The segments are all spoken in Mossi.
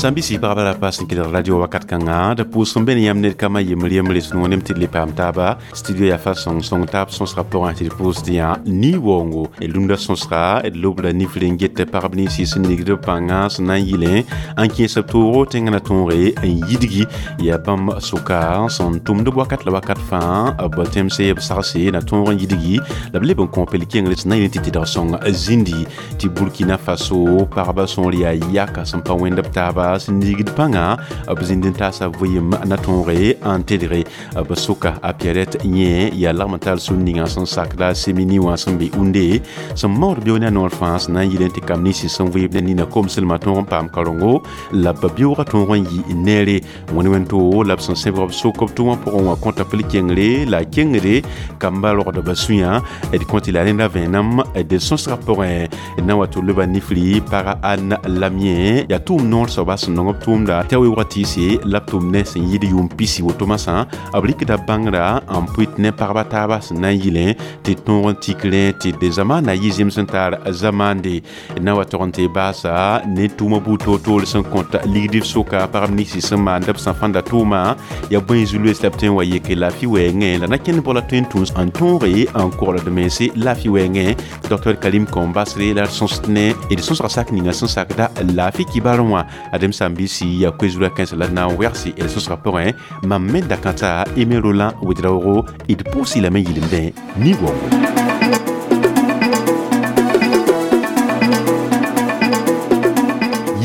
Sãn-bisi pagba la pa sẽn kelg radio wakat kãngã d pʋʋs n be ne yãmb ned kambã yembr yembre sũ nem tɩ d le paam taaba studio yaa fa sõng sõng taab sõsga pʋgẽ tɩ d pʋʋsd yã ni-waoongo d rũndã sõsga d lobra nifr n get pagb ninsi sẽn nigd b pãngã sẽn na n yɩlẽ n kẽes b toogo tẽngã na tõoge n yidgi yaa bãmb sʋka sẽn tʋmd b wakat la wakat fãa b tẽmse b sagse na tõog n yidgi la b leb n kõ pel kengre sẽn na yɩl tɩ tɩdg sõng zĩndi tɩ Burkina Faso pagba sõor yaa yaka sẽn pa wẽnd b taaba sẽn nigd pãnga b zĩnd n taasa vɩɩm na tõoge n tedge b sʋka a Pierrette yẽ yaa lagm n tar sũn ninga sẽn sakda semini wã sẽn be unde sẽn maood beo ne a noor fãa sẽn na n yɩl n tɩ kam ninsi sẽn vɩɩb ne nina komslmã tõog n paam karengo la b beoogã tõog n yɩ neere wẽnd wẽn-to la b sẽn sẽbg b sok b tʋmã pʋgẽ wã kõta pl kengre la a kengre kamba rogdba sũyã d kõ tɩ la rẽnda vẽenem d sõsgã pʋgẽ d na wa tɩ loba nifri paga Anne Lamien yaa tʋʋm noor soaba sẽn nong b tʋʋmda tɩ a weoogã tɩɩse la b tʋm ne sẽn yɩɩd yʋʋm pisi woto masã b rɩkda bãngrã n pʋɩt ne pagba taaba sẽn na n yɩlẽ tɩ tõog n tik rẽ tɩ d zamaana yɩ zem sẽn tar zamaande d na wa tog n tɩ baasa ne tʋʋmã buud toor-toor sẽn kõt ligd b sʋka pagb ninsi sẽn maand b sã fãnda tʋʋma yaa bõe zu-loees la b tõe n wa yeke laafɩ wɛɛngẽ la na kẽnd bala tõe n tũus n tõoge n kogld mense laafɩ wɛɛngẽ Dr Karim Kombasre la d sõsd ne d sõsga sak ninga sẽn sakda laafɩ kibar wã adem sãn-biisi yaa koe-zurã kãensa la d na n wegse d sõsga pʋgẽ mam me dakãta Aimé Roland Ouedraogo d pʋʋs-y lame yɩlemdẽ ni-waoongo.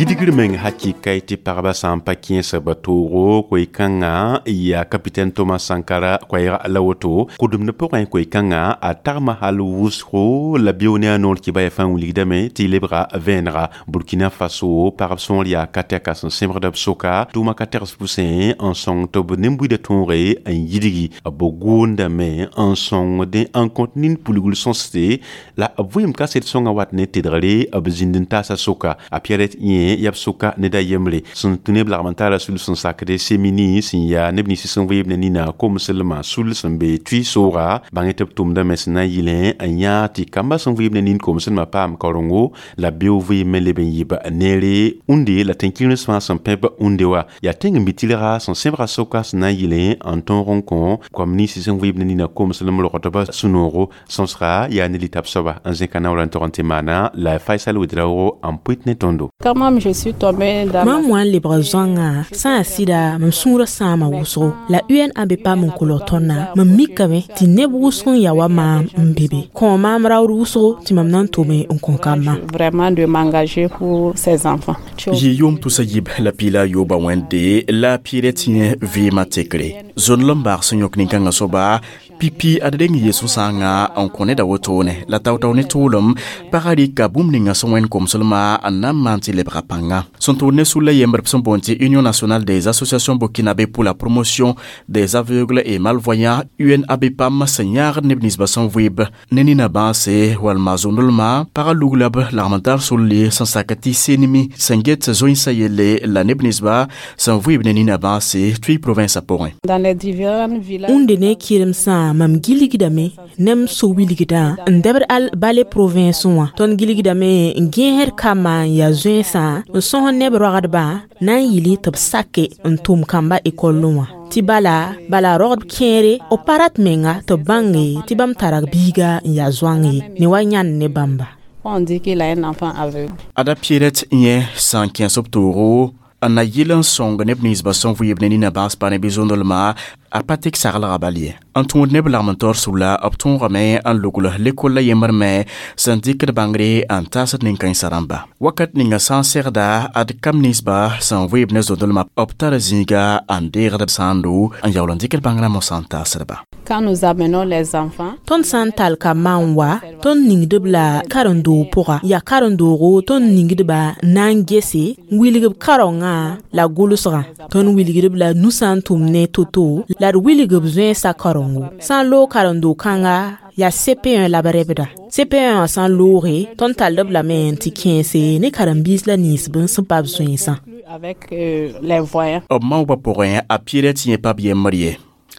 Yidgr meng hakɩka tɩ pagba sã n pa kẽes b toogo koe-kãngã yaa capitaine Thomas Sankara koɛɛg la woto kʋdemd pʋgẽ koe-kãngã a tagma hal wʋsgo la beo ne a noor kɩba yaa fãa wilgdame tɩ lebga vẽenega Burkina Faso pagb sõor yaa ka tɛka sẽn sẽbgd b sʋka tʋʋma ka tɛgs pʋsẽ n sõng tɩ b nin-buidã tõoge n yidgi b goondame n sõngdẽ n kõt nin-pulgr sõsde la b vɩɩm kaset sõngã wat ne tedgre b zĩnd n taasa sʋka a Pierrette yẽ yaa b sʋka ned a yembre sẽn tũ neb lagm n tara sul sẽn sakde semini sẽn yaa neb nins sẽn vɩɩb ne nina komslmã sul sẽn be tʋɩ sooga bãng tɩ b tʋmdame sẽn na n yɩlẽ n yãag tɩ kambã sẽn vɩɩb ne nin komslmã paam karengo la beo vɩɩm me leb n yɩb neere unde la tẽn-kĩrens fãa sẽn pẽb unde wa yaa tẽng n bɩ tɩlga sẽn sẽbga sʋka sẽn na n yɩlẽ n tõog n kõ koam ninsi sẽn vɩɩb ne nina komslem rogdbã sũ-noogo sõsga yaa ne litab soaba n zẽka naoor n tog n tɩ maana la Faisal Ouedraogo n pʋɩt ne tõndo. Quand je suis tombée dans Mam wã n lebg zoãngã sã n sɩda mam sũurã sãama wʋsgo la UNAB paam n kolg tõndã mam mikame tɩ neb wʋsg n ya wa maam n be be kõ maam raood wʋsgo tɩ mam na n tome n kõ kambã. Vraiment de m'engager pour ces enfants. Yɩ yʋʋm tusa yib la piila yooba wẽnde la Pierrette yẽ vɩɩmã tekre zõnlem baag sẽn yõk nin-kãngã soaba pipi ad reng yɩ sũ-sãangã n kõ neda wotone la tao-tao ne tʋʋlem pagã rɩka bũmb ninga sẽn wẽnd komslmã n na n maan tɩ lebga pãnga sẽn tʋʋd ne sulla yembr b sẽn boond tɩ Union nationale des associations burkinabé pour la promotion des aveugles et malvoyants UNABPAM sẽn yãagd neb ninsbã sẽn vɩɩb ne nina bãase walma zõnlmã pagã lugla b lagm n tar sulli sẽn sak tɩ senimi sẽn get zoẽnsã yelle la neb ninsba sẽn vɩɩb ne nina bãase tʋɩ province pʋgẽ. Dans les différents villages. Unde ne kɩremsã mam gilgdame ne m so-wilgdã n dɛbd al bale province wã tõnd gilgdame n gẽesd kambã n yaa zoẽnsã n sõs neb roagdbã na n yɩl tɩ b sake n tʋm kambã ekɔllẽ wã tɩ bala rogd kẽere b pa rat menga tɩ b bãnge tɩ bãmb tara biiga n yaa zoang ye ne wa yãnd ne bãmba. On dit qu'il a un enfant aveugle. Ada Pierrette yẽ sã n kẽes b toogo n na yɩl n sõng neb ninsbã sẽn vɩɩb ne nina bãas pa ne bɩ zõndelmã a pa tek saglga bal ye n tũud neb lagm n taoor sula b tõogame n lugl lekol la yembr me sẽn dɩkd bãngre n taasd nin-kãensã rãmba wakat ninga sã n segda ad kam ninsba sẽn vɩɩb ne zõndelmã b tara zĩiga n deegd sãando n yaool n dɩkd bãngrã mosã n taasdba. Quand nous amenons les enfants, Tõnd sã n tall kambã n wa tõnd ningdb la karen-doog pʋga yaa karen-doogo tõnd ningdba na n gese n wilg b kaoongã la gʋlsgã tõnd wilgdb la nusã n tʋm ne to-to la d wilg b zoẽnsã karengo sã n loog karen-doog kãnga yaa CP1 la b rɛbda CP1 wã sã n looge tõnd tall b lame n tɩ kẽese ne karen-biis la ninsb sẽn pa b zoẽnsã. Avec les voyants. B maoobã pʋgẽ a Pierrette yẽ pa b yembr ye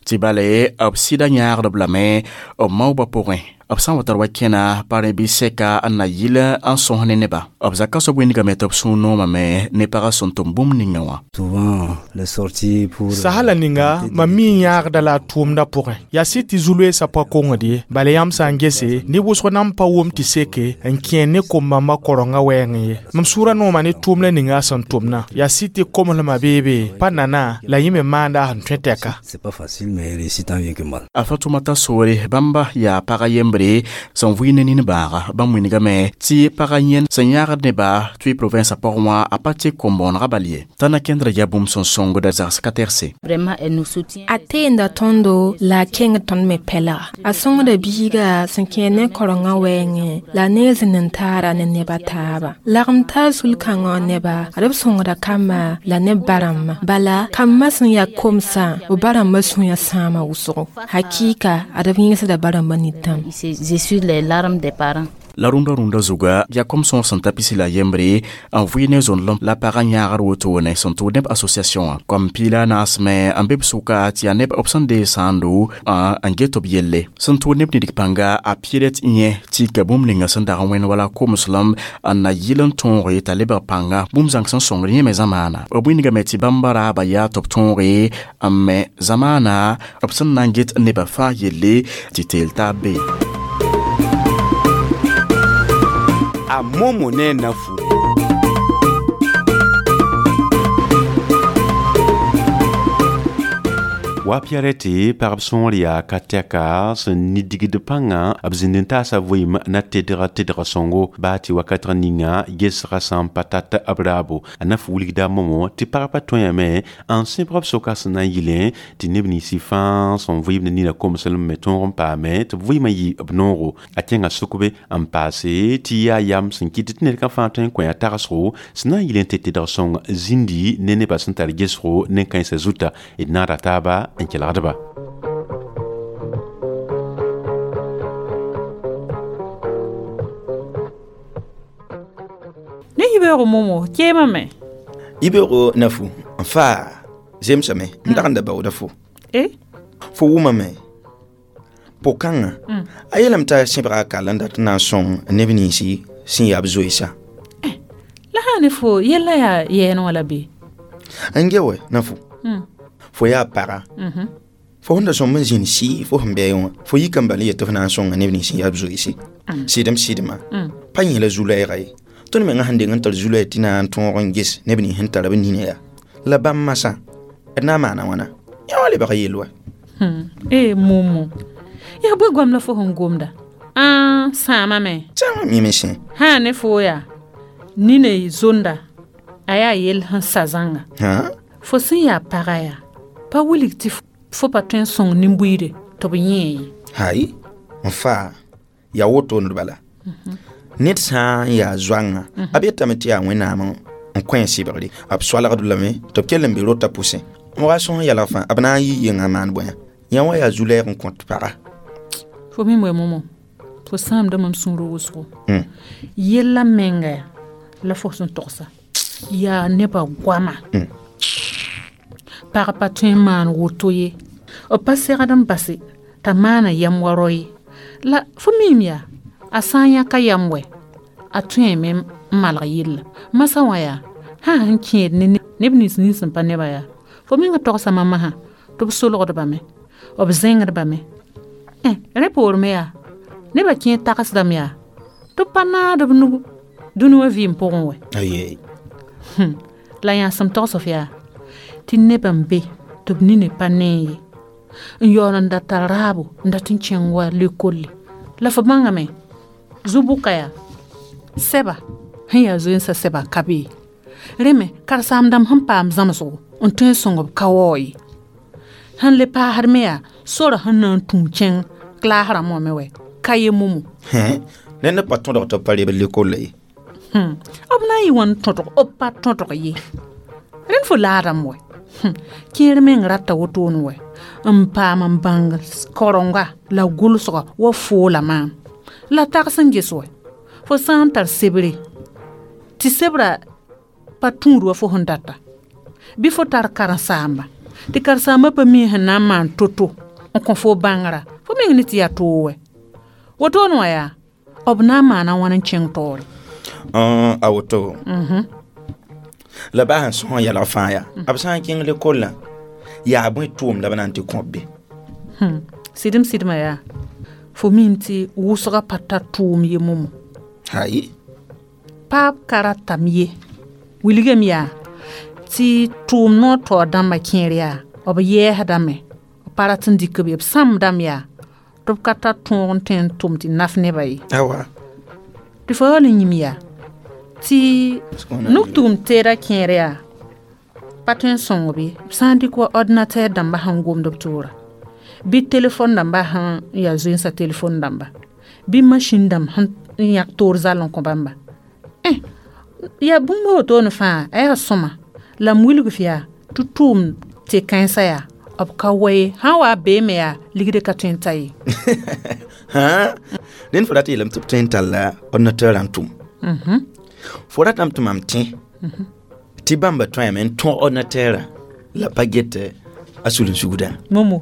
tɩ bale b sɩda yãagdb lame b maoobã pʋgẽ B sã n wa tar wa kẽna pa rẽ bɩ sɛka n na yɩl n sõs ne neba. B zaka soab wĩndgame tɩ b sũur noomame ne pagã sẽn tʋm bũmb ninga wã. Sahala ninga mam mi n yãagda la a tʋʋmdã pʋgẽ yaa sɩd tɩ zu-loeesã pa kongd ye bala yãmb sã n gese neb wʋsg nan pa wʋm tɩ seke n kẽer ne kom-bãmbã korengã wɛɛngẽ ye. Mam sũurã nooma ne tʋʋmdã ninga a sẽn tʋmnã yaa sɩd tɩ komslmã beebe pa nana la yẽ me maanda a sẽn tõe tɛka. A Fatumata soore bãmba yaa pagã yembre sẽn vɩɩ ne nin-bãaga. Bãmb wĩndgame tɩ pagã yẽnd sẽn yãagd neba tɩ province pʋgẽ wã a pa tɩ kom-bõonegã bal ye. T'a na kẽndra yaa bũmb sẽn sõngda zags ka tɛgse. A teenda tõndo la a kẽngd tõnd me pɛlga. A sõngda biiga sẽn kẽer ne korengã wɛɛngẽ la a ne zĩnd n taara ne neb a taaba. Lagem taa sul-kãngã neba ad b sõngda kamba la ne b ba-rãmbã. Bala kambã sẽn yaa komsã b ba-rãmbã sũyã sãama wʋsgo. Hakɩɩka ad b yẽgsda ba-rãmbã nitãm. La rũndã rũndã zuga yaa kom sõor sẽn ta pisi la yembre n vɩɩ ne zõnlem la pagã yãagr wotone sẽn tʋʋd neb association wã. Kom piila naasme n be b sʋka tɩ yaa neb b sẽn deeg sãando n get b yelle. Sẽn tʋʋd neb nidg pãnga a Pierrette yẽ tɩ ka bũmb ninga sẽn dag n wẽnd wala komslem n na yɩl n tõoge t'a lebg pãnga bũmb zãng sẽn sõngd yẽ me zamaana. B wĩndgame tɩ bãmba raaba yaa tɩ b tõoge n me zamaana b sẽn na n get nebã fãa yelle tɩ teel taab be. A momo ne nafu. Wa Pierrette pagb sõor yaa ka tɛka sẽn nidigd pãngã b zĩnd n taasa vɩɩm na tedga tedga sõngo baa tɩ wakatg ninga gesgã sã n pa tat b raabo. A na f wilgda momo tɩ pag pa tõeame n sẽbg b soka sẽn na n yɩlẽ tɩ neb ninsi fãa sẽn vɩɩmd nina komslem me tõog n paame tɩ b vɩɩmã yɩ b noogo. A kẽnga sʋkbe n paase tɩ yaa yam sẽn kɩt tɩ ned ka fãa tõe n kõ a tagsgo sẽn na n yɩl n tɩ tedg sõng zĩndi ne nebã sẽn tar gesgo nen-kãensã zuta d naada taaba n kelgdba. Ne yibeoogo momo keemame. Yibeoogo nafu n faa zemsame n dag n da baooda fo. Fo wʋmame po-kãngã a yeelame t'a sẽbga a kal n dat n na n sõng neb ninsi sẽn yaa b zoeesa. La sã ne fo yella yaa yɛɛn wã la be? N ge wɛ nafu. Fo yaa paga. Fo sẽn da sõmb n zĩnd sɩɩ fo sẽn bɛɛ wã fo yika n bal n yet tɩ f na n sõnga neb nins sẽn yaa b zoeese. Sɩdem sɩdmã pa yẽ la zu-lɛɛga ye. Tõnd mengã sẽn deng n tar zu-lɛɛg tɩ na n tõog n ges neb nins sẽn tar b nina yaa. La bãmb masã d na n maana wãna yã wã lebg yell wa. Momo yaa bõe goam la fo sẽn gomda? Ãa sãamame. Sãama mime sẽ. Sã ne fo yaa nina zonda a yaa yell sẽn sa zãnga. Fo sẽn yaa paga yaa pa wilg tɩ fo pa tõe n sõng nin-buiide tɩ b yẽe ye. Hay n faa yaa wotone bala. Ned sã n yaa zoangã a b yetame tɩ yaa Wẽnnaam n kõ a sɩbgre b soalgd lame tɩ b kell n be rota pʋsẽ. Wa sõs yɛlg fãa b na n yɩ yengã maan bõe yã wã yaa zu-lɛɛg n kõt paga. Fo mim wɛ momo fo sãamda mam sũurã wʋsgo. Yella menga yaa la fo sẽn togsa yaa nebã goama. Pag pa tõe n maan woto ye. B pa segd n base t'a maana yam wa rao ye. La fo miime yaa a sã n yãka yam wɛ a tõeme n malg yella. Masã wã yaa sã sẽn kẽed ne neb nins nins sẽn pa nebã yaa fo mengã togsã mamã sã tɩ b solgdbame b zẽngdbame. Rẽ poor me yaa nebã kẽer tagsdame yaa tɩ b pa naad b nug dũni wã vɩɩm pʋgẽ wɛ. La yãsem togs f yaa tɩ nebã n be tɩ b nina pa nee ye n yaool n da tar raabo n dat n kẽng wa lekolle. La fo bãngame zu-bʋka yaa sɛba sẽn yaa zoensã sɛba ka be ye. Rẽ me karen-saam-dãmb sẽn paam zãmsgo n tõe n sõng b ka waoog ye. Sẽn le paasd me yaa sora sẽn na n tũu kẽng klaas rãmbã me wɛ ka ye momo. Ned pa tõdg tɩ b pa reb lekolla ye. B na n yɩ wãn tõdg b pa tõdg ye. Rẽnd fo laadame wɛ. Kẽer meng rata wotone wɛ n paam n bãng korenga la gʋlsga wa foola maam. La tags n ges wɛ fo sã n tar sebre tɩ sebra pa tũud wa fo sẽn data bɩ fo tar karen-saamba tɩ karen-saambã pa mi sẽn na n maan to-to n kõ fo bãngrã fo meng ne tɩ yaa toog wɛ. Wotone wã yaa b na n maana wãn n kẽng taoore? A woto la baa sẽn sõs yɛlg fãa yaa b sã n kẽng lekollã yaa bõe tʋʋm la b na n tɩ kõb be? Sɩdem sɩdmã yaa fo mim tɩ wʋsgã pa tar tʋʋm ye momo. Ayi. Paab ka ratame ye. Wilgame yaa tɩ tʋʋm noor taoor dãmbã kẽer yaa b yɛɛsdame, b pa rat n dɩk b ye, b sãmbdame yaa tɩ b ka tar tõog n tõe n tʋm tɩ naf nebã ye. Awa. Tɩ fo yaool n yĩm yaa tɩ nug-tugum teedã kẽer yaa pa tõe n sõng b ye, b sã n dɩk wa ordinateur dãmbã sẽn gomd b toora, bɩ telefon dãmbã sẽn yaa zoensã telefon dãmba, bɩ masĩn dãmb sẽn yãk toor zall n kõ bãmba. Yaa bũmb wotone fãa a yaa sõma la m wilg f yaa tɩ tʋʋm tɩ kãensã yaa b ka wa ye, sã n wa beeme yaa ligd ka tõe n ta ye. Rẽnd fo rat yeelame tɩ b tõe n talla ordinateur n tʋm. Fo ratame tɩ mam tẽ tɩ bãmba tõeme n tõg ordinateurã la pa get a sulensugdã. Momo,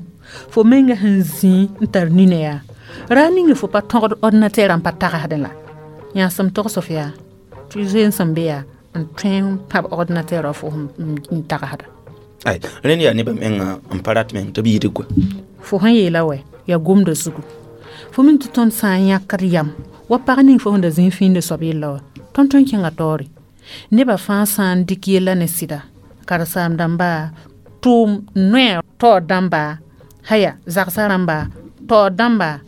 fo menga sẽn zĩ n tar nina yaa ra ning fo pa tõgd ordinateurã n pa tagsdẽ la yãsem togs f yaa tɩ zoeens sẽn be yaa n tõe n pãb ordinateurã fo n tagsda. Ay, rẽnd yaa nebã menga n pa rat meng tɩ b yɩɩd koa. Fo sẽn yeela wɛ yaa gomda zugu. Fo min tɩ tõnd sã n yãkd yam wa pag ning fo sẽn da zĩ fĩinde soab yella wa, tõnd tõe n kẽnga taoore. Nebã fãa sã n dɩk yella ne sɩda, karen-saam dãmba, tʋʋm noɛɛ taoor dãmba, haya zagsã rãmba, taoor dãmba,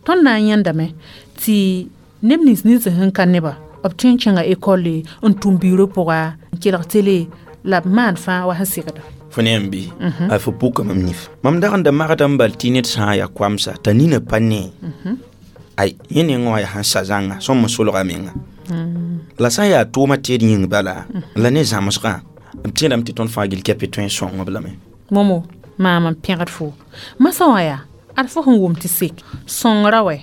tõnd na n yãndame tɩ neb nins nins sẽn ka nebã b tõe n kẽnga ekɔlle n tʋm biirã pʋga n kelg tele la b maan fãa wa sẽn segda. Fo ne n bɩ a fo puka mam nif. Mam dag n da magda n bal tɩ ned sã n yaa koamsa t'a nina pa ne. Ay, yẽ nengã wã yaa sẽn sa zãnga sõm n solga menga. La sã n yaa tʋʋmã teed yĩng bala la ne zãmsgã b tẽedame tɩ tõnd fãa gill kɛpɩ tõe n sõng b lame. Momo, maam n pẽgd fo. Masã wã yaa ad fo sẽn wʋm tɩ sek sõngra wɛ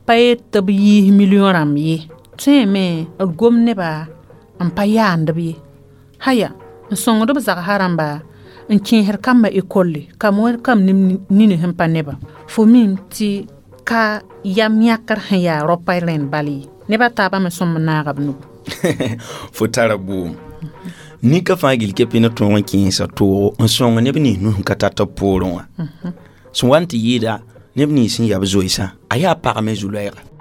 pa yet tɩ b yiis million rãmb ye, tõeme d gom nebã n pa yaand b ye. Haya n sõngd b zagsã rãmba n kẽesd kambã ekolle kam wa kam nini sẽn pa nebã. Fo mim tɩ ka yam yãkr sẽn yaa raopa rẽnd bal ye, nebã taabã me sõm n naaga b nugu. Fo tara boom. Nika fãa gill kɛpɩ ne tõog n kẽesa toogo n sõng neb nins nus n ka tar tɩ b poorẽ wã. Sẽn wa n tɩ yɩɩda neb nins sẽn ya b zoeesã a yaa pagame zu-loɛɛga.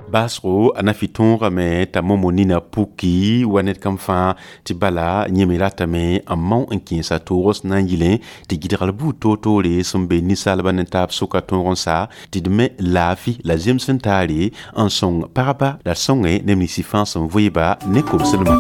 Baasgo a na fɩ tõogame t'a momo nina puki wa ned kam fãa tɩ bala yẽ me ratame n mao n kẽesa toog sẽn na n yɩlẽ tɩ gɩdgr buud toor-toore sẽn be ninsaalbã ne taab sʋka tõog n sa tɩ d me laafɩ la zems n taare n sõng pagba la sõnge neb nins fãa sẽn vɩɩba ne kobslmã.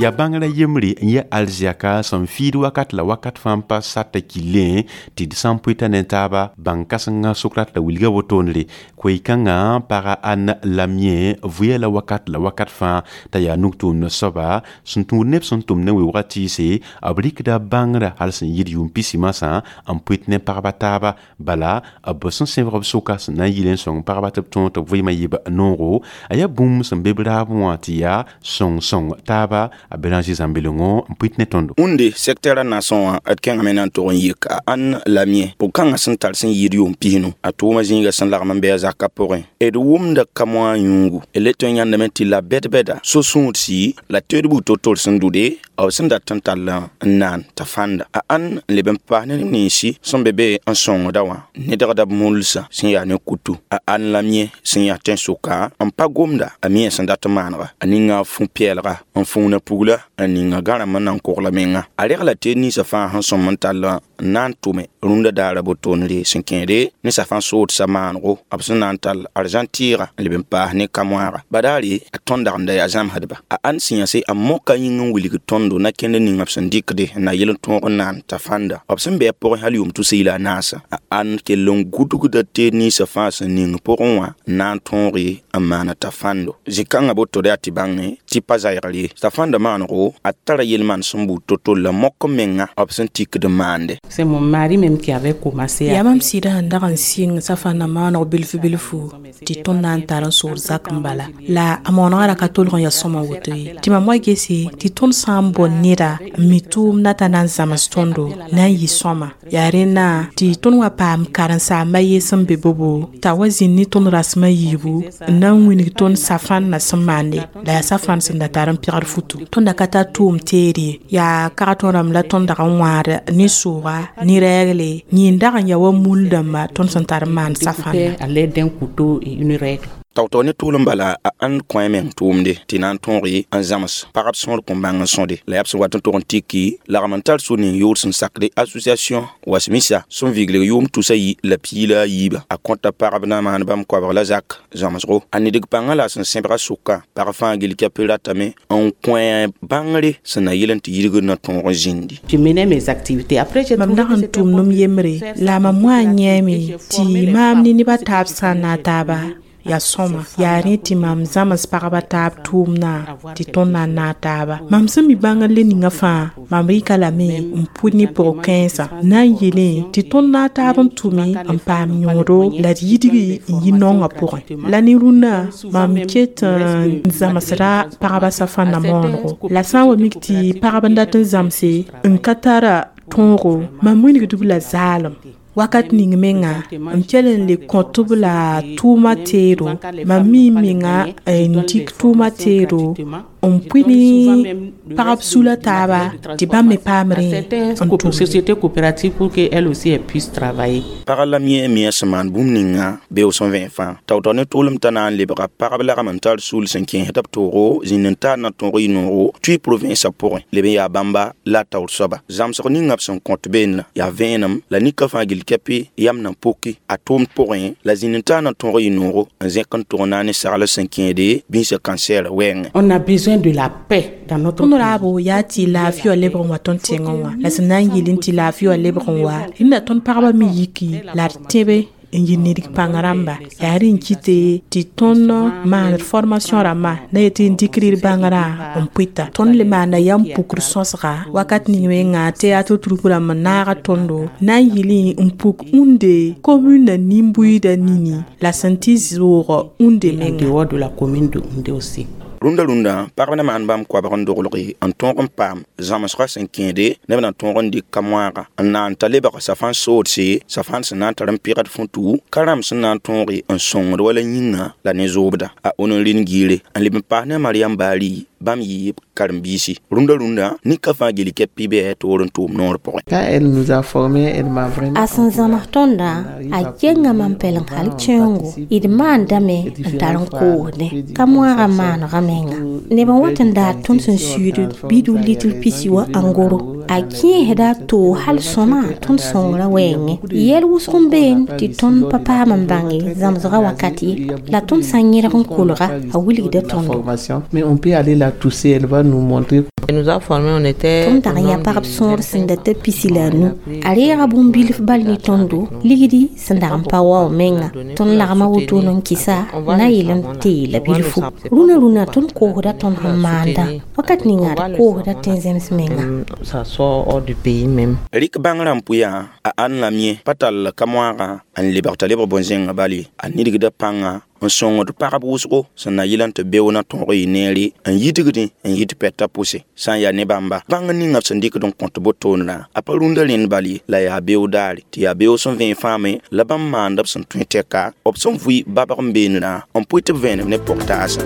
Yaa bãngrã yembre n yɛ alzɛka sẽn fiid wakat la wakat fãa n pa sata killẽ tɩ d sã n pʋɩta ne taaba bãng-kãsengã sʋk rat la wilga wotone koe-kãngã paga Ann Lamie vʋya la wakat la wakat fãa t'a yaa nug-tʋʋmd soaba sẽn tũud neb sẽn tʋm ne weoogã tɩɩse b rɩkda bãngrã hal sẽn yɩɩd yʋʋm pisi masã n pʋɩt ne pagba taaba bala b sẽn sẽbg b sʋka sẽn na n yɩl n sõng pagba tɩ b tõog tɩ b vɩɩmã yɩ b noogo a yaa bũmb sẽn be b raabẽ wã tɩ yaa sõng-sõng taaba a Bélanger Zambelongo n pʋɩt ne tõndo. Wũnde secteur a nasõ wã d kẽngame na n tog n yik a Ann Lamie pʋg-kãngã sẽn tar sẽn yɩɩd yʋʋm pisnu a tʋʋmã zĩiga sẽn lagm n bɩ a zakã pʋgẽ d wʋmda ka-moã yũugu d le tõe n yãndame tɩ la bɛd-bɛda so-sũudsi la teed buud to-tore sẽn dʋde b sẽn dat n tall n naan t'a fãnda a Ann n leb n paas neb ninsi sẽn be be n sõngda wã nedgda b mulsã sẽn yaa ne kutu a Ann Lamie sẽn yaa tẽn-sʋka n pa gomda a mia sẽn dat n maanega a ninga a fũ-pɛɛlga n fũuna pugla n ninga gãrem n na n kogla menga a regla teed ninsã fãa sẽn sõm n tall n na n tʋme rũndã daara botoonre sẽn kẽede ne safã soodsa maanego b sẽn na n tall arzãn tɩɩga n leb n paas ne ka-moaaga badaare a tõnd dag n da yaa zãmsdba a Ann sẽn yãse a moka yĩng n wilg tõndo na kẽnd ning b sẽn dɩkde n na yel n tõog n naan t'a fãnda b sẽn bɩ a pʋgẽ hal yʋʋm tus la a naasã a Ann kell n gudgda teed ninsã fãa sẽn ning pʋgẽ wã n na n tõoge n maana t'a fãndo zĩ-kãngã boto yaa tɩ bãnge tɩ pa zaɩgr ye t'a fãnda maanego a tara yel-maan sẽn buud to-to la mok menga b sẽn tikd n maande. C'est mon mari même qui avait commencé. Yaa mam sɩdã sẽn dag n sɩng safãnda maaneg bilf bilfu tɩ tõnd na n tar n sood zak n bala la a maoonegã ra ka tolg n yaa sõma woto ye tɩ mam wa gese tɩ tõnd sã n n bɔ neda n mi tʋʋmdã t'a na n zãms tõndo na n yɩ sõma. Yaa rẽnna tɩ tõnd wa paam karen-saamba ye sẽn be bobo t'a wa zĩnd ne tõnd rasem a yiibu n na n wilg tõnd safãnna sẽn maande la yaa safãn sẽn da tar n pegd futu. Tõnd da ka tar tʋʋm teed ye, yaa kag tõnd rãmb la tõnd dag n wãad ne sʋʋga ne rɛɛgle yẽn dag n yaa wa mul dãmba tõnd sẽn tar n maan safãnna. À l'aide d'un couteau et une règle. Tao-tao ne tʋʋlem bala a ãnd kõ meng tʋʋmde tɩ na n tõog n zãms pagb sõor kõn bãng n sõde la yaa b sẽn wat n tog n tiki lagm n tar sor ning yoor sẽn sakde association wasmisa sẽn viglg yʋʋm 313 a kõta pagb na maan bãmb koabg la zak zãmsgo a nidg pãngã la a sẽn sẽbga sʋka pag fãa gill kɛp ratame n kõ bãngre sẽn na yɩl n tɩ yidgd na tõog n zĩndi. Je menais mes activités. Après, j'ai Mam dag n tʋmd m yembre la mam wã n yẽeme tɩ maam ne nebã taab sã n na taaba yaa sõma. Yaa rẽ tɩ mam zãms pagba taab tʋʋmdã tɩ tõnd na n naag taaba. Mam sẽn mi bãngr le ninga fãa, mam rɩka lame n pʋd ne pʋg-kãensã na n yeelẽ tɩ tõnd naag taab n tʋme n paam yõodo la d yidgi n yi naongã pʋgẽ. La ne rũnnã mam ket n zãmsda pagba safãnna moonego la sã n wa mik tɩ pagb n dat n zãmse n ka tara tõogo, mam wilgd-b la zaalem. Wakat ning menga m kell n le kõt-b la tʋʋma teedo. Mam mi menga n dɩk tʋʋma teedo n pʋɩ ne pagb sula taaba tɩ bãmb me paam rẽ n tʋmde. Société coopérative pour qu'elle aussi elle puisse travailler. Pagã la yẽ me sẽn maan bũmb ninga beoog sẽn vẽ fãa tao-tao ne tʋʋlem t'a na n lebga pagb lagm n tar sul sẽn kẽesd b toogo zĩnd n taar na tõog y noogo tʋɩ provinsa pʋgẽ leb n yaa bãmba la a taoor soaba zãmsg ninga b sẽn kõt beene yaa vẽenem la nika fãa gill kɛpɩ yam na poki a tʋʋmd pʋgẽ la zĩnd n taar na tõog y noogo n zẽk n tʋg na ne sagl sẽn kẽede bĩsã cancer wɛɛngẽ. On a besoin de la paix dans notre Tõnd pays. raabo yaa tɩ laafɩ wã lebg n wa tõnd tẽngẽ wã la sẽn na n yɩl n tɩ laafɩ wã lebg n wa rẽnda tõnd pagba me yiki la d tẽbe n yɩ nidg pãng rãmba. Yaa rẽ n kɩte tɩ tõnd maand formation rãmbã na yetɩ n dɩk d bãngrã n pʋɩta. Tõnd le maanda yam pukr sõsga wakat ning menga théâtre troupe rãmb n naaga tõndo na n yɩlẽ n puk Houndé commune nin-buiidã nini la sẽn tɩ zʋʋg Houndé En menga. dehors de la commune de Houndé aussi. Rũndã rũndã pagb na maan bãmb koabg n doglg n tõog n paam zãmsgã sẽn kẽede neb na tõog n dɩk ka-moaaga n na n ta lebg safãn soodse safãn sẽn na n tar n pɩgd fũtu ka rãmb sẽn na n tõog n sõngd wala yĩnga la ne zoobda a on n rɩnd giire n leb n paas ne a Mariam Baari bãmb yɩ karen-biisi rũndã rũndã nika fãa gil kɛp pɩ bɩ toor n tʋʋm noor pʋgẽ. Quand elle nous a formés, elle m'a vraiment A sẽn zãms tõndã, a kenga mam pɛleng hal kẽongo d maandame n tar n koosdẽ ka moaagã maanegã menga. Neb n wat n daar tõnd sẽn suud bidu litr pisi wa angoro a kẽesda a toog hal sõma tõnd sõngrã wɛɛngẽ. Yɛl wʋsg n been tɩ tõnd pa paam n bãnge zãmsgã wakat ye la tõnd sã n yẽrg n kolga a wilgda tõndo. Formation. Mais on peut aller la tousser, elle va nous montrer. Elle nous a formés, on était Tõnd dag n yã pagb sõor sẽn da ta pisi la a nu a reega bũmb-bilf bal ne tõndo ligdi sẽn dag n pa wao menga. Tõnd lagma wotone n kɩsa na yɩl n teela bilfu. Rũnã rũnã tõnd koosda tõnd sẽn maandã wakat ninga d koosda tẽn-zẽms menga. Ça sort hors du pays même. Rɩk bãngrã n pʋyã a ãnd la yẽ pa tall ka-moaagã n lebg t'a lebg bõn-zẽngã bal ye a nidgda pãnga n sõngd pagb wʋsgo sẽn na yɩl n tɩ beo na tõog y neere n yidgdẽ n yit pɛtã pʋse sã n yaa ne bãmba bãng ninga b sẽn dɩkd n kõt botoonrã a pa rũndã rẽnd bal ye la yaa beoog daare tɩ yaa beoog sẽn vẽe fãame la bãmb maanda b sẽn tõe tɛka b sẽn vʋɩ babg n beenrã n pʋɩ tɩ b vẽenem ne pʋg-taasã.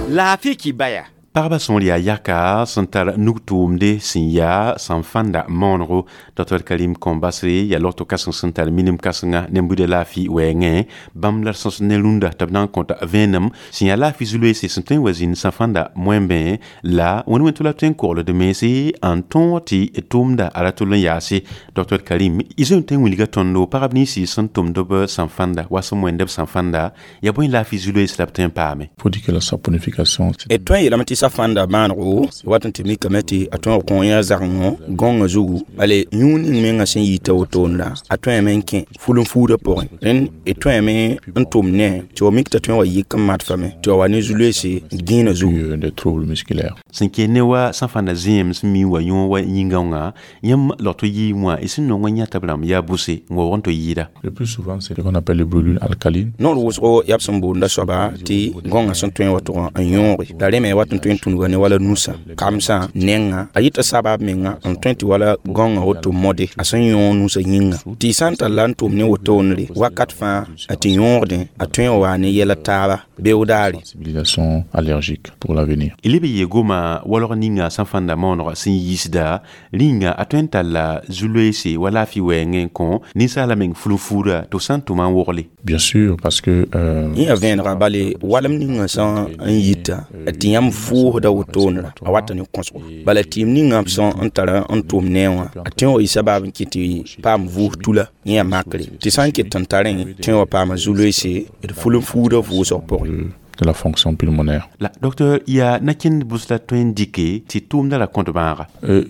Laafɩ kibaya. Pagba sõor yaa yaka sẽn tar nug-tʋʋmde sẽn yaa sẽn fãnda maonego. Dr Karim Kõmbasre yaa logto kãseng sẽn tar minim kãsenga ne buda laafɩ wɛɛngẽ bãmb la d sõs ne rũndã tɩ b na n kõta vẽenem sẽn yaa laafɩ zu-loeese sẽn tõe n wa zĩnd sã fãnda moẽmbẽ la wẽnd wẽn tʋ la tõe n kogld mense n tõog tɩ tʋʋmda a ra tʋl n yaase. Dr Karim, y zoe n tõe n wilga tõndo pagb ninsi sẽn tʋmd b sẽn fãnda wa sẽn moẽnd b sẽn fãnda yaa bõe laafɩ zu-loees la b tõe n paame? Faut dire que la saponification, D tõe n yeelame tɩ Safãnda bãanego wat n tɩ mikame tɩ a tõeg kõ yã zagengõ gõngã zugu bale yũud ning mengã sẽn yita wotone la a tõeme n kẽ ful-n-fuudã pʋgẽ. Rẽnd d tõeme n tʋm ne tɩ wa mik t'a tõe n wa yik n mat fame tɩ wa wa ne zu-loeese d gẽenã zugu. Des troubles musculaires. Sẽn kell ne wa sã fãnda zẽem sẽn mi wa yõ wa yĩngã wã yãmb log tɩ yɩɩm wã y sẽn nong n yãta b rãmb yaa bʋse n waoog n tɩ yɩɩda. Le plus souvent, c'est ce qu'on appelle les brûlures alcalines. Noor wʋsgo yaa b sẽn boonda soaba tɩ gõngã sẽn tõe n wa tʋg n yõoge la rẽ me wat n tõe n tũnuga ne wala nusã kamsã nengã a yɩta sabab menga n tõe tɩ wala gõngã woto mode a sẽn yõog nusã yĩnga tɩ sã n tar la n tʋm ne wotone wakat fãa a tɩ yõogdẽ a tõe n wa ne yɛla taaba beoog daare. Sensibilisation allergique pour l'avenir. Y leb n yee goma walg ninga sẽn fãnda maooneg sẽn yiisda rĩnga a tõe n talla zu-loeese wa laafɩ wɛɛngẽ n kõ ninsaala meng fulu-fuuda tɩ f sã n tʋma n wogle. Bien sûr, parce que yẽ yaa vẽenega bale walem ninga sã n yita tɩ yãmb vʋʋsda wotone ra a wata ne kõsgo bala tɩɩm ninga b sã n tara n tʋm ne wã a tõe n wa yɩ sabab n kɩt tɩ paam vʋʋs tula yẽ yaa makre tɩ sã n ket n tarẽ tõe n wa paama zu-loeese d fulu-n-fuudã vʋʋsg pʋgẽ. De la fonction pulmonaire. La docteur yaa nakẽnd bʋs la tõe n dɩke tɩ tʋʋmda la kõt bãaga.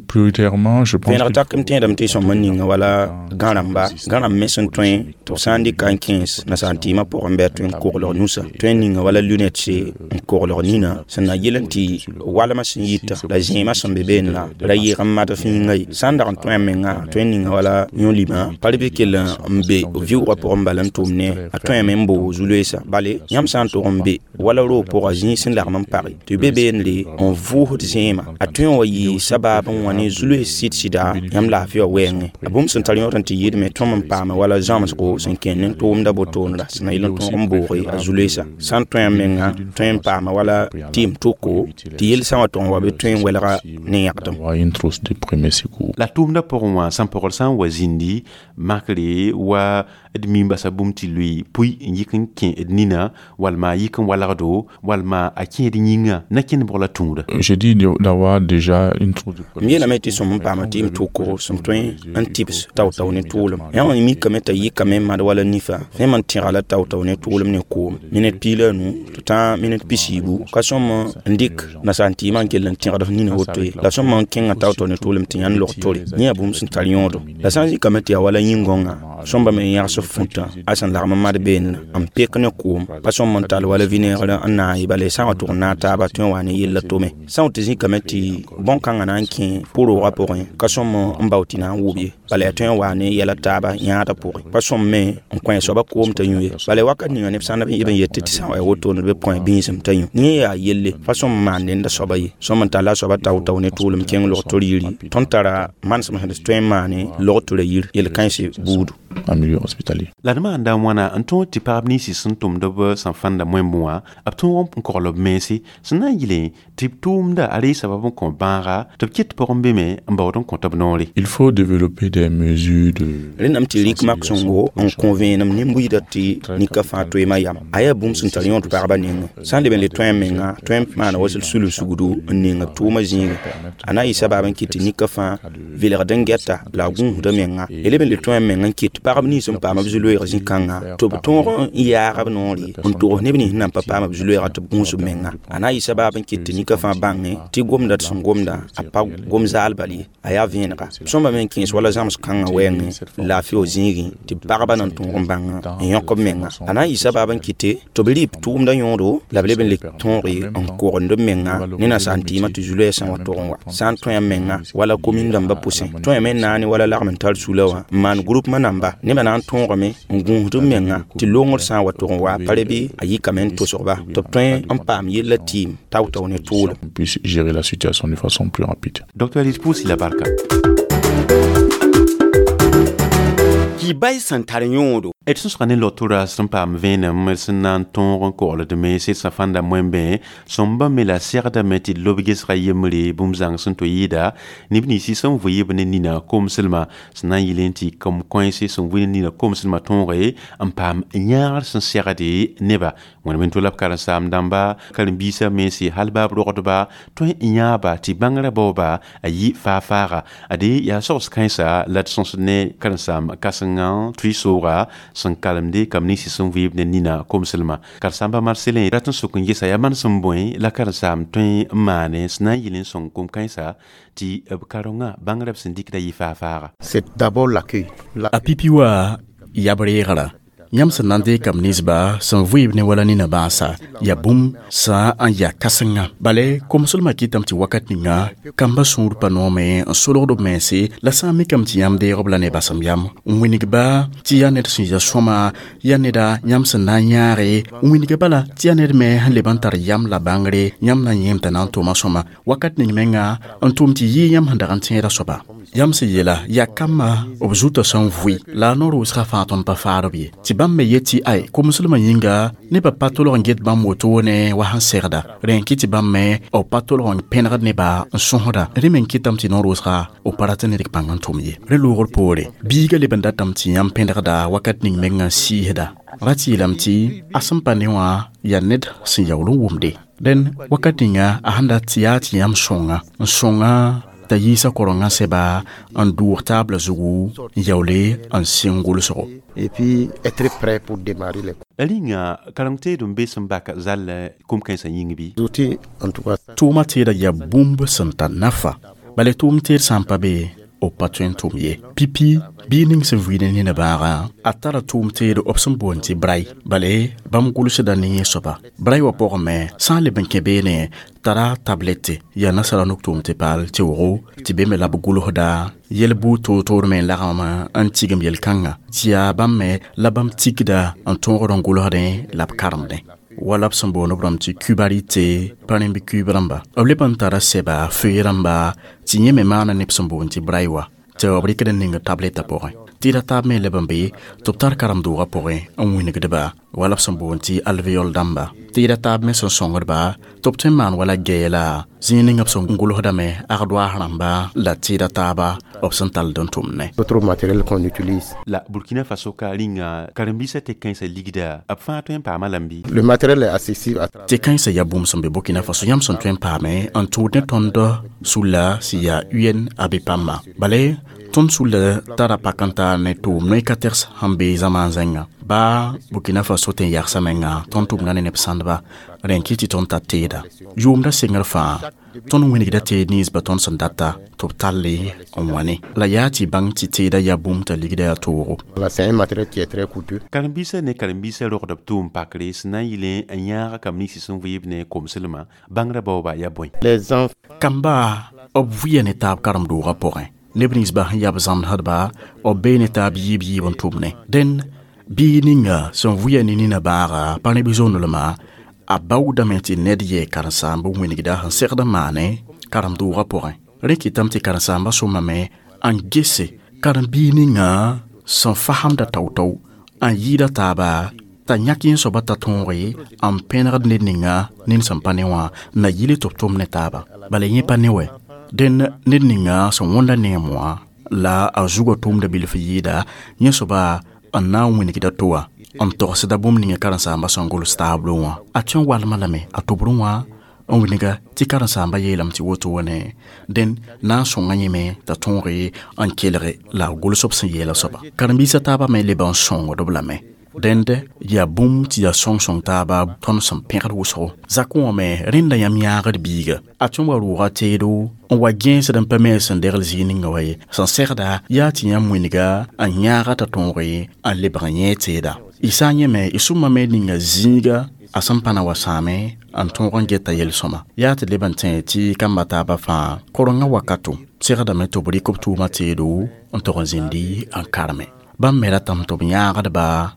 Prioritairement, je pense. Vẽeneg tak m tẽedame tɩ sõm n ninga wala gãrãmba gãrãmb me sẽn tõe tɩ b sã n dɩka n kẽes nasaar tɩɩmã pʋgẽ bɩ a tõe n koglg nusã tõe n ninga wala lunette n koglg nina sẽn na yel n tɩ walmã sẽn yita la zẽemã sẽn be beene la ra yɩɩg n mad fĩinga ye sã n dag n tõe a menga tõe n ninga wala yõ-limã pa bɩ kell n be vɩʋʋgã pʋgẽ bala n tʋm ne a tõeme n boog zu-loeesa bale yãmb sã n tʋg n be wala roog pʋga zĩig sẽn lagm n page tɩ be beene n vʋʋsd zẽema a tõe n wa yɩ sabab n wa ne zu-loees sɩd-sɩda yãmb laafɩ wã wɛɛngẽ a bũmb sẽn tar yõod n tɩ yɩɩdme tõm n paame wala zãmsgo sẽn kẽnd ne tʋʋmda botoone ra sẽn na yɩl n tõog n booge a zu-loeesa sã n tõe a menga tõe n paama wala tɩɩm toko tɩ yel sã wa tʋg n wa bɩ tõe n welga ne yãgdem. Une trousse de premier secours. La tʋʋmda pʋgẽ wã sãn pɔgl sã n wa zĩndi makre wa d mim basa bũmb tɩ lʋɩ pʋɩ n yik n kẽ d nina walma a yik n walgdo walma a kẽed yĩnga na kẽnd bʋg la tũuda. J'ai dit d'avoir déjà une trousse de m yeelame tɩ sõm n paama tɩɩm toko sẽn tõe n tɩbs tao-tao ne tʋʋlem yã wã mikame t'a yikame n mad wala nifa fẽem n tẽga la tao-tao ne tʋʋlem ne koom minit 15 tɩ tã minit 40 ka sõm n dɩk nasaar tɩɩmã n kell n tẽgd f nina woto ye la sõm n kẽngã tao-tao ne tʋʋlem tɩ yãnd log tore yẽ yaa bũmb sẽn tar yõodo la sã n zĩkame tɩ yaa wala yĩn-gõngã sõmba me n yãgs fũtã a sẽn lagm n mad beene n pek ne koom pa sõm n tall wala vinaigre n naag ye bala sã n wa tʋg n naag taaba tõe n wa ne yella tome sã n tɩ zĩkame tɩ bõn-kãngã na n kẽ pʋroogã pʋgẽ ka sõm n bao tɩ na n wʋb ye bala yaa tõe n wa ne yɛla taaba yãadã pʋgẽ pa sõm me n kõ soaba koom t'a yũ ye bala wakat ninga neb sã n b n yet tɩ sã n wa wotone bɩ kõ bĩisem t'a yũ yẽ yaa yelle pa sõm n maan nenda soaba ye sõm n talla soaba tao-tao ne tʋʋlem kẽng log-tor yiri tõnd tara manesem sẽn tõe n maane log-tora yir yel-kãense buudu. En milieu hospitalier. La d maanda wãna n tõog tɩ pagb ninsi sẽn tʋmd b sẽn fãnda moẽmb wã b tõog n kogl b mense sẽn na n yɩle tɩ b tʋʋmda a ree sabab n kõ bãaga tɩ b ket pʋgẽ be me n baood n kõt b noore. Il faut développer des mesures de rẽndame tɩ rɩk mak sõngo n kõ vẽenem nin-buiidã tɩ nika fãa toeemã yam a yaa bũmb sẽn tar yõod pagba nengẽ sã n leb n le tõe n menga tõe n maana wa sul sugdu n ning b tʋʋmã zĩigẽ a na n yɩ sabab n kɩt tɩ nika fãa velgd n gɛta la a gũusda menga y leb n le tõe n meng n kɩt pagb nins n paam b zu-loeeg zĩ-kãnga tɩ b tõog n yaag b noore n togs neb nins nan pa paam b zu-loeega tɩ b gũus b menga a na n yɩ sabab n kɩt tɩ nika fãa bãnge tɩ gomda d sẽn gomda a pa gom zaal bal ye a yaa vẽenega sõmba me n kẽes wala zãms kãngã wɛɛngẽ laafɩ wa zĩigẽ tɩ pagba na n tõog n bãnga n yõk b menga a na n yɩ sabab n kɩte tɩ b rɩ b tʋʋmda yõodo la b leb n le tõoge n kogend b menga ne nasaar tɩɩmã tɩ zu-loɛɛ sã n wa tʋg n wa sã n tõe a menga wala komin dãmbã pʋsẽ tõeme n naane wala lagm n tar sula wã n maan groupement namba nebã na n tõogame n gũusd b menga tɩ longr sã n wa tʋg n wa pa re bɩ a yikame n tosgba tɩ b tõe n paam yella tɩɩm tao-tao ne tʋʋlem. Puisse gérer la situation de façon plus rapide. Docteur Alice la barka. Ki-bay sẽn tar yõodo. D sõsga ne lotora sẽn paam vẽenem sẽn na n tõog n kogld me sed sã fãnda moẽmbẽ sõmba me la segdame tɩ d lob gesga yembre bũmb zãng sẽn tɩ yɩɩda neb ninsi sẽn vɩɩb ne nina komslmã sẽn na n yɩl n tɩ kom-kõense sẽn vɩ ne nina komslmã tõoge n paam yãagr sẽn segde neba. Wẽnem n tʋ la b karen-saam dãmba karen-biisã mense hal baa b rogdba tõe n yãaba tɩ bãngrã baooba a yɩ faa-faaga. Ade yaa sogs kãensa la d sõsd ne karen-saam kãsengã tʋɩ sooga sẽn kalemde kam ninsi sẽn vɩɩb ne nina komslmã. Karen-saamba Marcelin rat n sok n gesa yaa manesem bõe la karen-saam tõe n maane sẽn na n yɩl n sõng kom-kãensa tɩ b karengã bãngrã b sẽn dɩkda yɩ faa-faaga. C'est d'abord l'accueil. A pipi wa yab reegra yãmb sẽn na n deeg kam ninsba sẽn vɩɩb ne wala nina bãasa yaa bũmb sã n yaa kãsenga. Bale komslmã kɩtame tɩ wakat ninga kambã sũur pa noome n solgd b mense la sã n mikame tɩ yãmb deeg b la ne basem yam n wingba tɩ yaa ned sẽn ya sõma, yaa neda yãmb sẽn na n yãage, n wingba bala tɩ yaa ned me sẽn leb n tar yam la bãngre yãmb na n yẽem t'a na n tʋma sõma wakat ning menga n tʋm tɩ yɩ yãmb sẽn dag n tẽeda soaba. Yãmb sẽn yeela yaa kambã b zutã sẽn vʋɩ la a no-rʋʋsgã fãa tõnd pa faadb ye. Tɩ bãmb me yet tɩ ay komslmã yĩnga nebã pa tolg n get bãmb wotone wa sẽn segda, rẽ n kɩt tɩ bãmb me b pa tolg n pẽnegd nebã n sõsda. Rẽ me n kɩtame tɩ no-rʋʋsga b pa rat n ned pãng n tʋm ye. Rẽ loogr poore biigã leb n datame tɩ yãmb pẽnegda wakat ning mengã n sɩɩsda. Ra tɩ yeelame tɩ a sẽn pa ne wã yaa ned sẽn yaool n wʋmde. Dẽn wakat ninga a sẽn dat tɩ yaa tɩ yãmb sõnga n sõnga t'a yiisa korengã sɛba n dʋʋg taabla zugu n yaoole n sɩng gʋlsgo. Et puis être prêt pour démarrer les La rĩnga karem-teed n be sẽn bak zall kom-kãensã yĩng bɩ? Outils, en tout cas. Tʋʋmã teeda yaa bũmb sẽn tar nafa. Bala tʋʋm teed sã n pa be b pa tõe n tʋm ye. Pipi bii ning sẽn vɩɩd ne nina bãaga a tara tʋʋm teed b sẽn boond tɩ bray. Bale bãmb gʋlsda ne yẽ soaba. Bray wã pʋgẽ me sã n leb n kẽ beene tara tablette yaa nasara nuk tʋʋm tɩ paal tɩ wogo tɩ be me la b gʋlsda yel-buud toor-toor me n lagame n tigim yel-kãngã tɩ yaa bãmb me la bãmb tikda n tõogd n gʋlsdẽ la b karemdẽ. Wala b sẽn boond b rãmb tɩ kubarite pa rẽmb kuib rãmba. B leb n tara sɛba fee rãmba tɩ yẽ me maana neb sẽn boond tɩ bray wã tɩ b rɩkd n ning tableta pʋgẽ. Tɩ ra taab me leb n be tɩ b tar karem-doogã pʋgẽ n wingdba wala b sẽn boond tɩ alveol dãmba. Tɩ ra taab me sẽn sõngdba tɩ b tõe n maan wala gɛɛla zĩig ning b sẽn gʋlsdame agdoaas rãmba la tɩɩda taaba b sẽn tald n tʋmd ne. Autre matériel qu'on utilise. La Burkina Faso ka rĩnga karen-biisã tɩ kãensã ligda b fãa tõe n paama lame bɩ? Le matériel est accessible à Tɩ kãensã yaa bũmb sẽn be Burkina Faso yãmb sẽn tõe n paame n tʋʋd ne tõnd sulla sẽn yaa UNAB pãmba. Bale tõnd sulla tara pak n taar ne tʋʋm noe ka tɛgs sẽn be zamaan zẽnga. Baa Burkina Faso tẽn yagsã menga tõnd tʋmda ne neb sãndba rẽ n kɩt tɩ tõnd tar teeda. Yʋʋmda sengr fãa tõnd wĩnigda teed ninsba tõnd sẽn data tɩ b talle n wã ne. La yaa tɩ bãng tɩ teeda yaa bũmb t'a ligda yaa toogo. Voilà, c'est un matériel qui est très coûteux. Karen-biisã ne karen-biisã rogd b tʋʋm pakre sẽn na n yɩl n yãag kam ninsi sẽn vɩɩb ne komslmã bãngrã baooba yaa bõe? Les enfants Kamba b vʋɩa ne taab karem-doogã pʋgẽ. Neb ninsba sẽn yaa b zãmsdba b bee ne taab yiib yiib n tʋmne. Dẽn bii ninga sẽn vʋɩa ne nina bãaga pa ne bi-zonelmã a baoodame tɩ ned yɛɛ karen-saamb n wĩnigda sẽn segd n maane karem-doogã pʋgẽ. Rẽ kɩtame tɩ karen-saambã sõmame n gese karen-biig ninga sẽn fasemda tao-tao n yɩɩda taaba t'a yãk yẽ soaba t'a tõoge n pẽnegd ned ninga ned sẽn pa ne wã na yɩle tɩ b tʋm ne taaba. Bala yẽ pa ne wɛ. Dẽn ned ninga sẽn wõnda neem wã la a zugã tʋʋmda bilf yɩɩda yẽ soaba n na n wĩnigda to wã n togsda bũmb ninga karen-saambã sẽn gʋls taablo wã. A tõe n walma lame a tʋbrẽ wã n wilga tɩ karen-saambã yeelame tɩ woto wã ne dẽn na n sõnga yẽme t'a tõoge n kelge la a gʋls b sẽn yeela soaba. Karen-biisã taabã me leb n sõngd-b lame. Dẽnd yaa bũmb tɩ yaa sõng-sõng taaba tõnd sẽn pẽgd wʋsgo. Zakẽ wã me rẽnda yãmb yãagd biiga. A tõe n wa rʋʋga teedo n wa gẽesd n pa me sẽn degl zĩig ninga wa ye. Sẽn segda yaa tɩ yãmb wĩnga n yãaga t'a tõoge n lebg n yẽ teeda. Y sã n yẽ me y sʋma me ninga zĩiga a sẽn pa na wa sãame n tõog n geta yel-sõma. Yaa tɩ leb n tẽ tɩ kamba taabã fãa korengã wakato segdame tɩ b rɩk b tʋʋmã teedo n tog n zĩndi n karme. Bãmb me ratame tɩ b yãagdba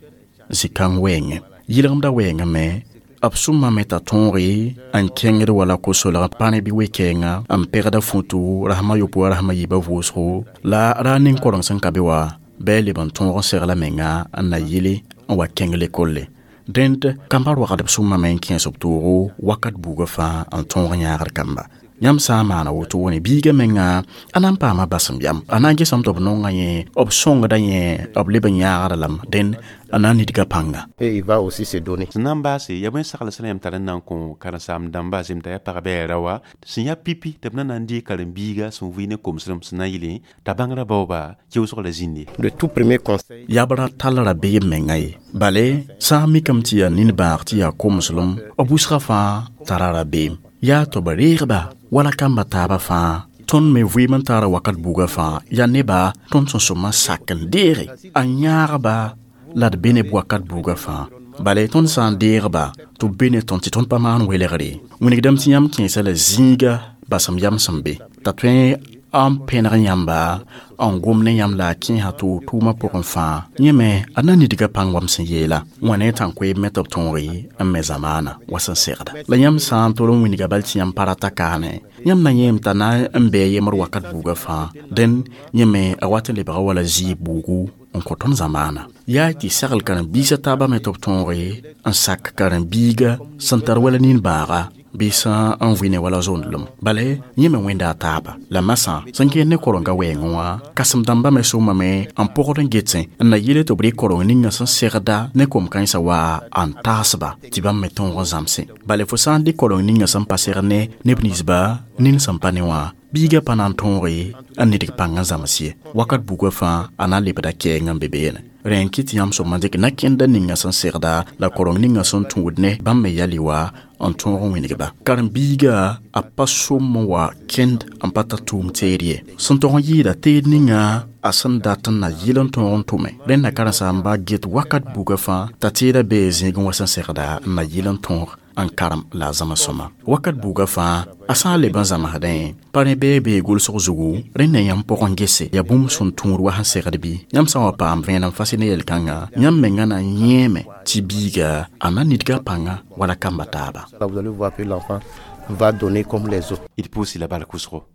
zĩ-kãng wɛɛngẽ. Yɩlgemdã wɛɛngã me b sʋmame t'a tõoge n kẽngd wala ko-solg pa ne bɩ we-kɛɛngã n pegda futu rasma yopoe wa rasma yiibã vʋʋsgo la ra ning koreng sẽn ka be wã bɩ a leb n tõog n segla menga n na yɩle n wa kẽng lekolle. Dẽnd kambã roagdb sʋmame n kẽes b toogo wakat buugã fãa n tõog yãagd kamba. Yãmb sã n maana wotone biigã menga a na n paama basem yam. A na n gesame tɩ b nonga yẽ, b sõngda yẽ, b leb n yãagda lame. Dẽnd a na n nidga pãnga. Et il va aussi se donner. Sẽn na n baase yaa bõe sagl sẽn yãmb tar n na n kõ karen-saam-dãmba zemta yaa pagba yaa raowa sẽn yaa pipi tɩ b na n deeg karen-biiga sẽn vɩ ne komsem sẽn na n yɩlẽ t'a bãngrã baooba keoosg la zĩnde. Le tout premier conseil. Yabra tall rabeem menga ye. Bale, sã n mikame tɩ yaa nin-bãag tɩ yaa komslem, b wʋsgã fãa tara rabeem. Yaa tɩ b reegba wala kamba taabã fãa. Tõnd me vɩɩm n taara wakat buugã fãa yaa neba tõnd sẽn sõma sak n deege a yãagba la d be ne b wakat buugã fãa. Bale tõnd sã n deegba tɩ b be ne tõnd tɩ tõnd pa maan welgre. Wilgdame tɩ yãmb kẽesa la zĩiga basem yam sẽn be. T'a tõe n pẽneg yãmba n gom ne yãmb la a kẽesa tɩ tʋʋmã pʋgẽ fãa. Yẽ me a na nidga pãng wam sẽn yeela. Wã ne tãn-koeeb me tɩ b tõoge n me zamaana wa sẽn segda. La yãmb sã n tol n wilga bal tɩ yãmb pa rata kaane, yãmb na yẽem t'a na n bɩ a yembr wakat buugã fãa. Dẽnd yẽ me a wat n lebga wala zɩɩb buugu n kõ tõnd zamaana. Yaa tɩ sagl karen-biisã taabã me tɩ b tõoge n sak karen-biiga sẽn tar wala nin-bãaga bɩ sã n vɩ ne wala zondlem. Bale yẽ me wẽnda a taaba. La masã sẽn kẽed ne korenga wɛɛngẽ wã, kãsem-dãmbã me sõmame n pogd n getsẽ n na yɩle tɩ b rɩk koreng ninga sẽn segda ne kom-kãensã wa n taasba tɩ bãmb me tõog n zãmsẽ. Bale fo sã n dɩk koreng ninga sẽn pa segd ne neb ninsba nin sẽn pa ne wã, biigã pa na n tõoge n nidg pãng n zãms ye. Wakat buugã fãa a na n lebda kɛɛng n be beene. Rẽ n kɩt tɩ yãmb sõma dɩk na-kẽnda ninga sẽn segda la koreng ninga sẽn tũud ne bãmb me yali wa n tõog n wĩnigba. Karen-biiga a pa sõm n wa kẽnd n pa tar tʋʋm teed ye. Sẽn tog n yɩɩda teed ninga a sẽn dat n na yɩl n tõog n tʋme. Rẽnda karen-saamba get wakat buugã fãa t'a teedã bee zẽegẽ wa sẽn segda n na yɩl n tõog n karem la a zãms sõma. Wakat buugã fãa a sã n leb n zãmsdẽ, pa rẽ bee bee gʋlsg zugu, rẽnda yãmb pʋgẽ gese yaa bũmb sẽn tũud wa sẽn segd bɩ. Yãmb sã n wa paam vẽenem fasɩ ne yel-kãngã, yãmb mengã na n yẽeme tɩ biiga a na nidga pãnga wala kamba taaba. Vous allez voir que l'enfant va donner comme les autres. D pʋʋs la bark wʋsgo.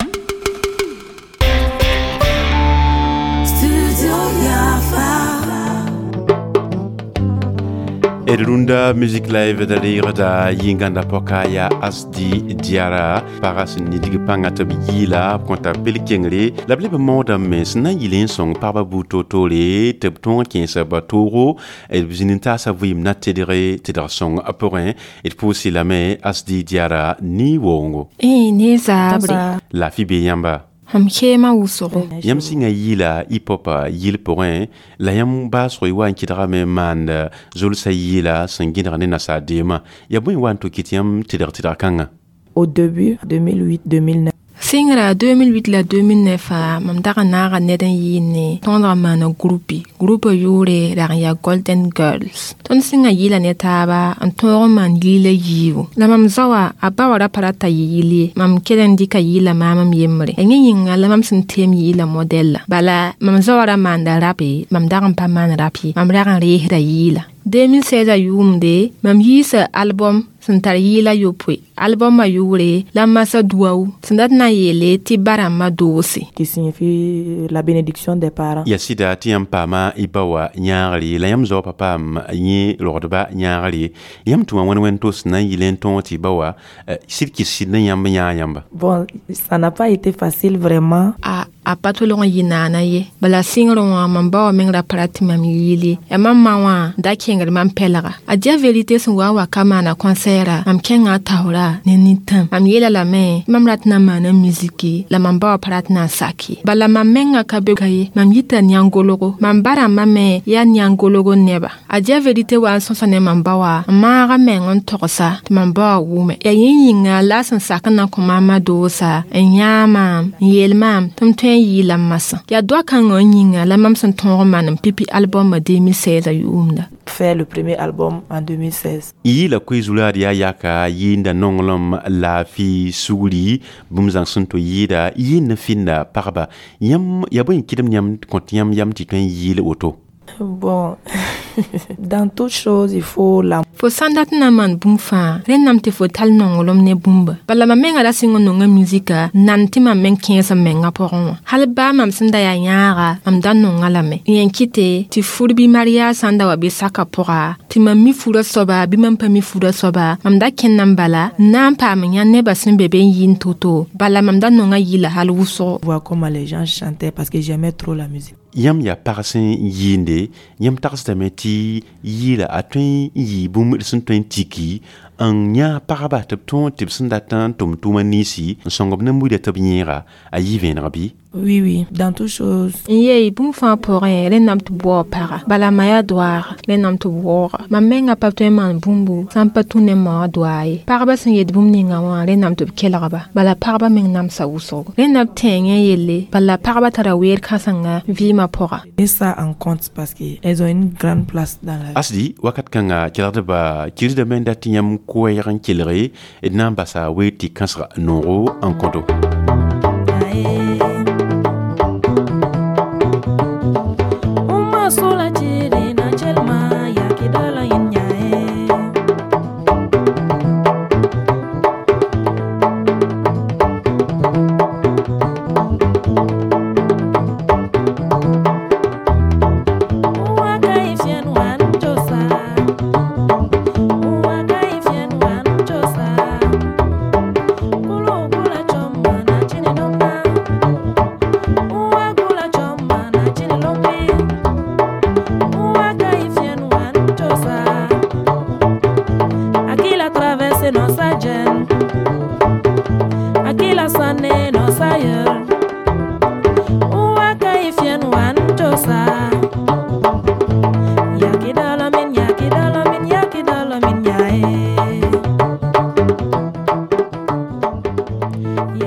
D rũndã Music Live da reegda yĩngãnda pɔka yaa Asdi Diarra pagã sẽn nidg pãngã tɩ b yɩɩla b kõta bel-kengre la b leb n maoodame sẽn na n yɩl n sõng pagba buud toor-toore tɩ b tõog n kẽesa ba toogo b zĩnd n taasa vɩɩm na tedge tɩdg sõng a pʋgẽ. D pʋʋsɩ lame Asdi Diarra ni-woongo. Ne zaabre. Laafɩ bee yãmba. Mam keema wʋsgo. Yãmb sɩngã yɩɩla hip-hop yɩl pʋgẽ la yãmb baasg y wa n kɩdgame n maand zolsã yɩɩla sẽn gẽdg ne nasaar deemã. Yaa bõe wa n tʋ kɩt yãmb tɩdg tɩdg kãngã? Au début, 2008-2009. Sɩngra 2008 la 2009 mam dag n naaga ned n yɩɩne tõodg n maana groupe. Groupe yʋʋre rag n yaa Golden Girls. Tõnd sɩngã yɩɩla ne taaba n tõog n maan yɩɩla yiibu. La mam zaoã a ba wa ra pa rata yɩ yɩl ye. Mam kell n dɩka yɩɩla maam m yembre. Yẽ yĩnga la mam sẽn teem yɩɩla modɛlla. Bala mam zaoã ra maanda rape, mam dag n pa maan rap ye. Mam rag n reesda yɩɩla. 2016 yʋʋmde mam yiisa album sẽn tar yɩɩla yopoe. Albumã yʋʋre la masa duawu sẽn dat na n yeele tɩ ba-rãmbã doose. Qui signifie la bénédiction des parents. Yaa sɩda tɩ yãmb paama y ba wã yãagre la yãmb zao pa paam yẽ rogdba yãagre. Yãmb tʋma wẽn wẽn tos na n yɩl n tõog tɩ ba wã sɩd kɩs sɩd ne yãmb yãag yãmba. Bon, ça n'a pas été facile vraiment. A pa tolg n yɩ naana ye. Bala sɩngrẽ wã mam ba wã meng ra pa rat tɩ mam yɩɩl ye. Yaa mam ma wã da kẽngd mam pɛlga. A dia vérité sẽn wa n wa ka maana concert mam kẽnga a taoora ne nintãm. Mam yeela lame mam rat na n maana musiki la mam ba wã pa rat na n sak ye. Bala mam menga ka be ka ye. Mam yita yãn-golgo. Mam ba-rãmbã me yaa yãn-golgo neba. A dia vérité wa n sõsa ne mam ba wã n maaga meng n togsa tɩ mam ba wã wʋme. Yaa yẽ yĩnga la a sẽn sak n na n kõ maamã doosa n yãag maam n yeel maam tɩ m tõe n yɩɩla n masã. Yaa doa kãngã n yĩnga la mam sẽn tõog n maan n pipi albumã 2016 yʋʋmda. Faire le premier album en 2016. Yɩɩla koe zulaad yaa yaka yɩɩnda nonglem laafɩ sugri bũmb zãng sẽn tʋ yɩɩda yɩɩnd n fɩnda pagba. Yãmb yaa bõe n kɩdem yãmb kõt yãmb yam tɩ tõe n yɩɩl woto? Bon. Dans toute chose, il faut la Fo sãn dat n na n maan bũmb fãa, rẽndame tɩ fo tall nonglem ne bũmba. Bala mam menga ra sɩng n nonga musika nan tɩ mam meng kẽes m mengã pʋgẽ wã. Hal baa mam sẽn da yaa yãaga, mam da nonga lame. Yẽ kɩte tɩ fur bɩ mariage sã n da wa bɩ saka pʋga, tɩ mam mi furã soaba bɩ mam pa mi furã soaba, mam da kẽnda n bala n na n paam n yã nebã sẽn be be n yɩɩn to-to. Bala mam da nonga yɩla hal wʋsgo. Voir comment les gens chantaient parce que j'aimais trop la musique. Yãmb yaa pag sẽn yɩɩnde, yãmb tagsdame tɩ yɩɩla a tõe n yɩɩ bũmb d sẽn tõe n tiki n yã pagba tɩ b tõog tɩ b sẽn dat n tʋm tʋʋma ninsi n sõng b ne buida tɩ b yẽega a yɩ vẽeneg bɩ? Oui, oui, dans toutes choses. N yee bũmb fãa pʋgẽ, rẽndame tɩ b waoog paga. Bala ma yaa doaaga, rẽndame tɩ b waooga. Mam menga pa tõe n maan bũmbu sã n pa tũ ne m ma wã doaa ye. Pagba sẽn yet bũmb ninga wã, rẽndame tɩ b kelgba. Bala pagba meng namsa wʋsgo. Rẽnda b tẽengẽ yelle, bala pagba tara weer kãsenga vɩɩmã pʋga. Et ça en compte parce qu'elles ont une grande place dans la vie. Asdi, wakat kãnga kelgdba kirsdame n dat tɩ yãmb koɛɛg n kelge d na n basa weer tɩ kãsga noogo n kõto.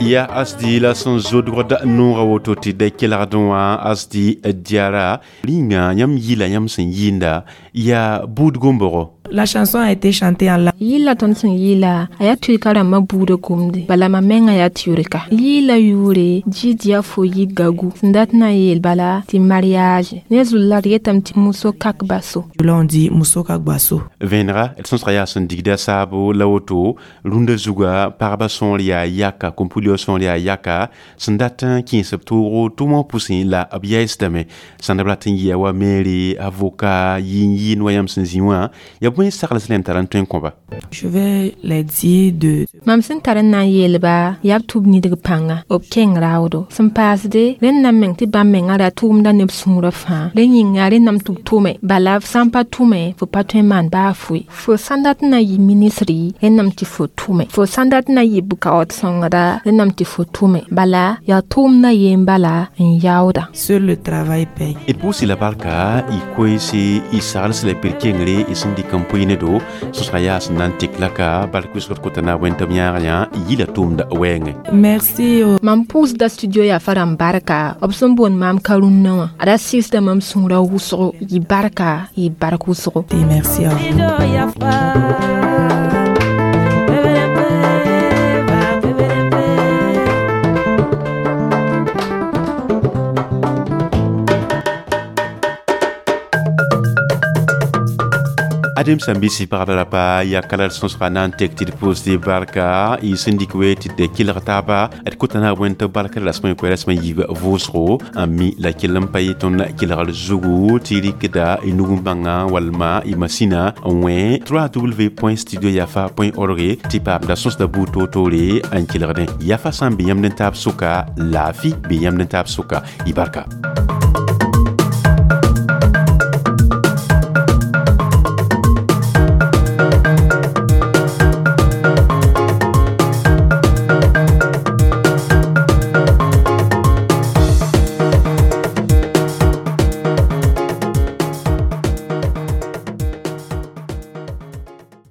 Ya Asdi la sẽn zodgd noogã woto tɩ da kelgdẽ wã Asdi Diara rĩnga yãmb yɩla yãmb sẽn yɩɩnda yaa buud gombogo. La chanson a été chantée en langue. Yɩla tõnd sẽn yɩɩla, a yaa turka rãmbã buudã gomde. Bala mam menga yaa turka. Yɩɩla yʋʋre Jidia fo yi gagu sẽn dat n na n yeel bala tɩ mariage. Ne zulla d yetame tɩ muso kak baso. Là on dit muso kak baso. Vẽenega d sõsga yaa sẽn digda saabo la woto rũndã zuga pagba sõor yaa yaka kom-pulyo sõor yaa yaka sẽn dat n kẽes b toogo tʋmã pʋsẽ la b yaɩsdame sãn da b rat n yɩa wa maire, avocat, yɩɩn yɩɩn wa yãmb sẽn zĩ wã yaa bõe sagls rẽnd tar n tõe n kõba? Je vais les dire de Mam sẽn tar n na n yeelba yaa b tʋb nidg pãnga, b kẽng raoodo. Sẽn paasde, rẽndame meng tɩ bãmb mengã ra tʋʋmda neb sũurã fãa. Rẽ yĩnga rẽndame tɩ b tʋme. Bala f sã n pa tʋme, fo pa tõe n maan baa foe. Fo sãn dat n na yɩ ministri, rẽndame tɩ fo tʋme. Fo sãn dat n na yɩ bʋkaood sõngda, rẽndame tɩ fo tʋme. Bala yaa tʋʋmdã yeen bala n yaooda. Seul le travail paye. D pʋʋs la barka y koeese y sagls la pir kengre y sẽn dɩk n pʋɩ ne do sõsga yaa sẽn na n tek laka bark wɩsgd kota na wẽn tɩ b yãag yã yɩla tʋʋmda wɛɛngẽ. Merci. Mam pʋʋsda studio yaa fa rãmb barka b sẽn boond maam ka-rũnnã wã. A ra sɩɩsda mam sũurã wʋsgo, yɩ barka, yɩ bark wʋsgo. Et merci à vous. Adem sãn-biisi pagba la pa yaa kala d sõsga na n tek tɩ d pʋʋs tɩ barka y sẽn dɩk we tɩ d kelg taaba d kota na wẽn tɩ barka rasmã koɛ rasmã yiib vʋʋsgo n mi la kell n pa yɩ tõnd kelgr zugu tɩ rɩkda y nug n bãnga walma y masĩna n wẽ www.studioyafa.org tɩ paamda sõsda buud toor-toore n kelgdẽ yafa sã n be yãmb ne taab sʋka laafɩ be yãmb ne taab sʋka y barka.